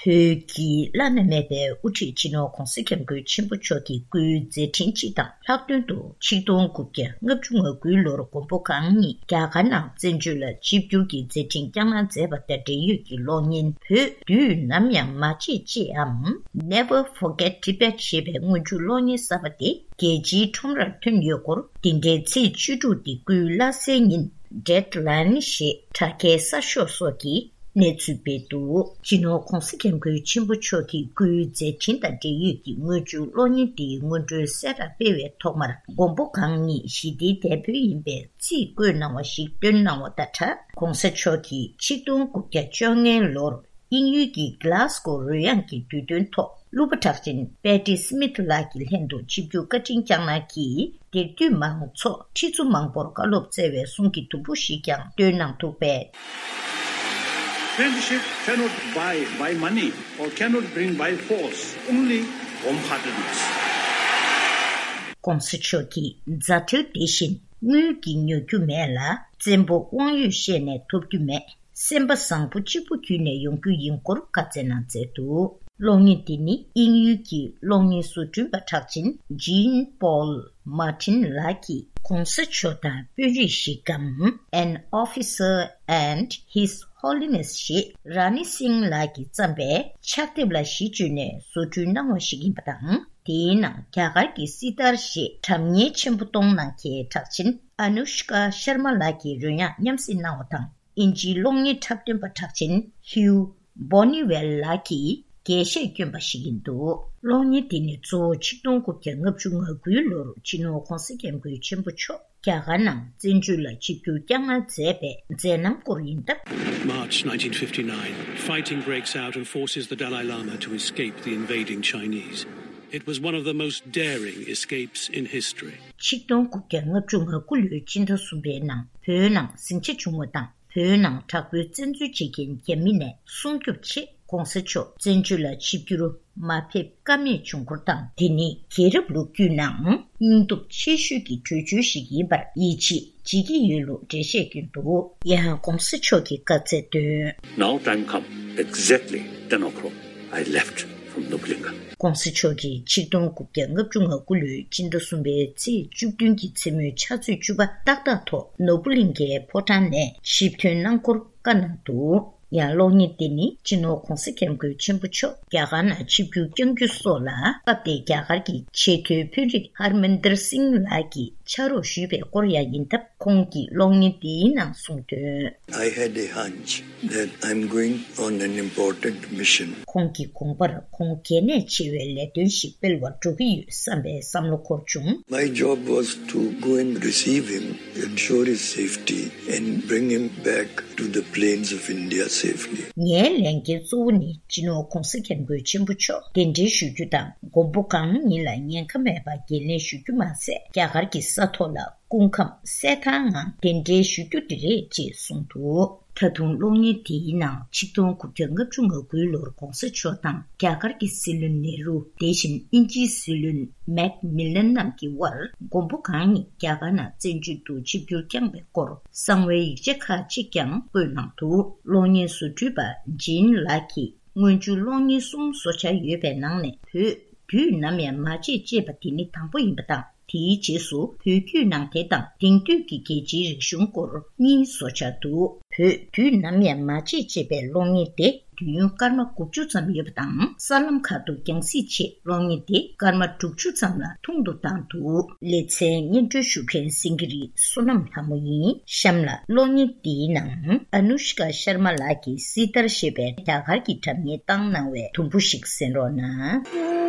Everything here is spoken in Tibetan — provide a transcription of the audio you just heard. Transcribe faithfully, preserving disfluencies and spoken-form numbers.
བོད་ཀྱི་བླ་ན་མེད་པའི་དབུ་ཁྲིད་སྤྱི་ནོར་༧གོང་ས་༧སྐྱབས་མགོན་ཆེན་པོ་མཆོག་གི་སྐུའི་མཛད་འཕྲིན་སྤྱི་དང་། ལྷག་དོན་དུ་ཆིག་སྟོང་དགུ་བརྒྱ་ལྔ་བཅུ་ང་དགུའི་ལོར་མགོན་པོ་གང་ཉིད་རྒྱ་གར་ནང་བཙན་བྱོལ་ལ་ཆིབས་བསྒྱུར་གྱི་མཛད་འཕྲིན་བསྐྱངས་གནང་མཛད་པ་དང་འབྲེལ་ཡོད་ཀྱི་གློག་བརྙན། བོད་དུས་ནམ་ཡང་མ་བརྗེད་ཅེས་འམ། Never Forget Tibet ཞེས་པའི་སྔོན་འཇུག་གློག་བརྙན་གསར་པ་དེ་རྒྱལ་སྤྱིའི་ཁྲོམ་རར་ཐོན་ཡོད་སྐོར། འདི་འདྲའི་ཚེས་བཅུ་དྲུག་དེ་སྐུའི་བླ་གཟའི་ཉིན། Deadline ཞེས་དྲ་རྒྱའི་གསར་ཤོག་སོགས་ཀྱིས་གནས་ཚུལ་སྤེལ་འདུག་སྤྱི་ནོར་༧གོང་ས་༧སྐྱབས་མགོན་ཆེན་པོ་མཆོག་གི་སྐུའི་མཛད་འཕྲིན་དང་འབྲེལ་ཡོད་ཀྱི་སྔོན་འཇུག་གློག་བརྙན་དེའི་སྔོན་འགྲོའི་གསལ་བསྒྲགས་སྤེལ་བའི་ཐོག་མར། མགོན་པོ་གང་ཉིད་ཞི་བདེའི་དེད་དཔོན་ཡིན་པའི་ཚིག་བཀོད་གནང་བ་ཞིག་བཏོན་གནང་བ་དང་སྦྲགས། ༸གོང་ས་མཆོག་གིས་ཆིག་སྟོང་དགུ་བརྒྱ་བཅོ་ལྔའི་ལོར་དབྱིན་ཡུལ་གྱི་གྷི་ལཱ་སྒོ་རོལ་དབྱངས་ཀྱི་དུས་སྟོན་ཐོག་གླུ་པ་གྲགས་ཅན་Patti Smith ལགས་ཀྱི་ལྷན་དུ་ཆིབས་བསྒྱུར་བཀའ་དྲིན་བསྐྱངས་གནང་གིས། དེར་འདུས་མང་ཚོགས་ཁྲི་ཚོ་མང་པོར་བཀའ་སློབ་སྩལ་བའི་གསུང་གི་དུམ་བུ་ཞིག་ཀྱང་བཏོན་གནང་འདུག་པས། Friendship cannot buy by money or cannot bring by force, only warm-heartedness. ༸གོང་ས་མཆོག་གིས། མཛའ་བྲལ་དེ་བཞིན་དངུལ་གྱིས་ཉོ་རྒྱུ་མེད་ལ། བཙན་པོ་དབང་ཡོད་བཤད་ནས་ཐོབ་རྒྱུ་མེད། སེམས་པ་བཟང་པོ་གཅིག་པུ་བརྒྱུད་ནས་ཡོང་རྒྱུ་ཡིན་སྐོར་བཀའ་སྩལ་གནང་མཛད་འདུག་གློག་བརྙན་འདི་ནི་དབྱིན་ཡུལ་གྱི་གློག་བརྙན་བཟོ་སྐྲུན་པ་གྲགས་ཅན་Jean Paul Martin ལགས་ཀྱིས་གོང་ས་མཆོག་དང་དཔོན་རིགས་ཤིག་གམ། An Officer and His Holiness ཞེས་ར་ནི་སིང་ལགས་ཀྱིས་བརྩམས་པའི་ཕྱག་དེབ་ལ་གཞི་བཅོལ་ནས་བཟོ་སྐྲུན་གནང་བ་ཞིག་ཡིན་པ་དང་། དེའི་ནང་རྒྱ་གར་གྱི་སི་ཏར་ཞེས་སྒྲ་སྙན་ཆེན་པོ་གཏོང་གནང་མཁན་གྲགས་ཅན་Anushka Sharma ལགས་ཀྱི་རོལ་དབྱངས་མཉམ་བསྲེས་གནང་བ་དང་། དབྱིན་ཇིའི་གློག་བརྙན་འཁྲབ་སྟོན་པ་གྲགས་ཅན་Hugh Boniwell ལགས་ཀྱིས་རྒྱས་བཤད་བསྐྱོན་པ་ཞིག་ཡིན་འདུག་གློག་བརྙན་འདི་ནི་གཙོ་བོ་ཆིག་སྟོང་དགུ་བརྒྱ་ལྔ་བཅུ་ང་དགུའི་ལོར་སྤྱི་ནོར་༸གོང་ས་༸སྐྱབས་མགོན་ཆེན་པོ་མཆོག་རྒྱ་གར་ནང་བཙན་བྱོལ་ལ་ཆིབས་བསྒྱུར་བསྐྱངས་གནང་མཛད་པའི་མཛད་རྣམ་སྐོར་ཡིན་སྟབས། March nineteen fifty-nine, fighting breaks out and forces the Dalai Lama to escape the invading Chinese. It was one of the most daring escapes in history. ཆིག་སྟོང་དགུ་བརྒྱ་ལྔ་བཅུ་ང་དགུ་ལོའི་སྤྱི་ཟླ་གསུམ་པའི་ནང་བོད་ནང་ཟིང་ཆ་བྱུང་བ་དང་། བོད་ནང་དྲག་པོའི་བཙན་འཛུལ་བྱེད་མཁན་རྒྱ་མི་ནས་སྲུང་སྐྱོབ་ཆེད་༸གོང་ས་མཆོག་བཙན་བྱོལ་ལ་ཆིབས་བསྒྱུར་མ་ཕེབས་ཀ་མེད་བྱུང་སྐོར་དང་། དེ་ནི་རྒྱལ་རབས་ལོ་རྒྱུས་ནང་སྙིང་སྟོབས་ཆེ་ཤོས་ཀྱི་གྲོས་ཆོད་ཞིག་ཡིན་པར་ཡིད་ཆེས་བྱེད་ཀྱི་ཡོད་ལུགས་འགྲེལ་བཤད་བསྐྱོན་འདུག་ཡང་༸གོང་ས་མཆོག་གིས་བཀའ་སྩལ་དོན། Now time come, exactly ten o'clock, I left from Nobulinga. ༸གོང་ས་མཆོག་གིས་ཆིག་སྟོང་དགུ་བརྒྱ་ལྔ་བཅུ་ང་དགུ་ལོའི་སྤྱི་ཟླ་གསུམ་པའི་ཚེས་བཅུ་བདུན་གྱི་མཚན་མོའི་ཕྱག་ཚོད་བཅུ་པ་ཏག་ཏག་ཐོག་ནོར་བུ་གླིང་གའི་ཕོ་བྲང་ནས་ཞིབ་ཐོན་གནང་སྐོར་བཀའ་གནང་འདུག་ཡང་གློག་བརྙན་དེ་ནི་སྤྱི་ནོར་༸གོང་ས་༸སྐྱབས་མགོན་ཆེན་པོ་མཆོག་རྒྱ་གར་ནང་ཆིབས་བསྒྱུར་བསྐྱང་རྒྱུ་སོགས་ལ་སྐབས་དེའི་རྒྱ་གར་གྱི་ཆེས་མཐོའི་དཔོན་རིགས་ཧར་མན་དར་སིང་ལགས་ཀྱིས་ཕྱག་རོགས་ཞུས་པའི་སྐོར་ཡང་ཡིན་སྟབས། ཁོང་གིས་གློག་བརྙན་དེའི་ནང་གསུངས་དོན། I had a hunch that I'm going on an important mission. ཁོང་གི་དགོངས་པར་ཁོང་གལ་གནད་ཆེ་བའི་ལས་དོན་ཞིག་སྤེལ་བར་འགྲོ་གི་ཡོད་བསམ་པའི་བསམ་བློ་འཁོར་བྱུང་། My job was to go and receive him, ensure his safety, and bring him back to the plains of India safely. ངའི་ལས་འགན་གཙོ་བོ་ནི་སྤྱི་ནོར་༸གོང་ས་༸སྐྱབས་མགོན་ཆེན་པོ་མཆོག་གདན་འདྲེན་ཞུ་རྒྱུ་དང་། མགོན་པོ་གང་ཉིད་ལ་ཉེན་ཁ་མེད་པར་འགན་ལེན་ཞུ་རྒྱུ་མ་ཟད། རྒྱ་གར་གྱི་ས་ཐོག་ལ་སྐུ་ཁམས་གསལ་ཐང་ངང་གདན་འདྲེན་ཞུ་རྒྱུ་དེ་རེད་ཅེས་གསུངས་འདུག་ད་དུང་གློག་བརྙན་དེའི་ནང་ཆིག་སྟོང་དགུ་བརྒྱ་ལྔ་བཅུ་ང་དགུའི་ལོར་༸གོང་ས་མཆོག་དང་རྒྱ་གར་གྱི་སྲིད་བློན་ནེ་རུ། དེ་བཞིན་དབྱིན་ཇིའི་སྲིད་བློན་མེག་མི་ལན་རྣམས་ཀྱི་དབར་མགོན་པོ་གང་ཉིད་རྒྱ་གར་ནང་བཙན་བྱོལ་དུ་ཆིབས་བསྒྱུར་བསྐྱངས་པའི་སྐོར་གསང་བའི་ཡིག་ཆ་ཁག་ཅིག་ཀྱང་བཀོད་གནང་འདུག་གློག་བརྙན་བཟོ་སྐྲུན་པ་ཇིན་ལགས་ཀྱིས། སྔོན་འཇུག་གློག་བརྙན་གསུམ་བཟོ་འཆར་ཡོད་པའི་ནང་ནས་བོད་དུས་ནམ་ཡང་མ་བརྗེད་ཅེས་པ་དེ་ནི་དང་པོ་ཡིན་པ་དང་། དེའི་རྗེས་སུ་བོད་བརྒྱུད་ནང་བསྟན་དང་དེང་དུས་ཀྱི་རྒྱལ་སྤྱིའི་རིག་གཞུང་སྐོར་གཉིས་བཟོ་འཆར་འདུག་བོད་དུས་ནམ་ཡང་མ་བརྗེད་ཅེས་པའི་གློག་བརྙན་དེ་དུས་ཡུན་སྐར་མ་དགུ་བཅུ་ཙམ་ཡོད་པ་དང་། གསར་ལམ་ཁག་ཏུ་རྒྱང་སྲིང་ཆེད་གློག་བརྙན་དེ་སྐར་མ་དྲུག་ཅུ་ཙམ་ལ་ཐུང་དུ་བཏང་འདུག་ལེ་ཚན་སྙན་སྒྲོན་ཞུ་མཁན་སེང་གེ་རི་བསོད་ནམས་ལྷ་མོ་ཡིན། གཤམ་ལ་གློག་བརྙན་འདིའི་ནང་ཨ་ནུ་ཤི་ཀ་ཤར་མ་ལགས་ཀྱིས་སི་ཏར་ཞེས་པའི་རྒྱ་གར་གྱི་སྒྲ་སྙན་བཏང་གནང་བའི་དུམ་བུ་ཞིག་གསན་རོགས་གནང་།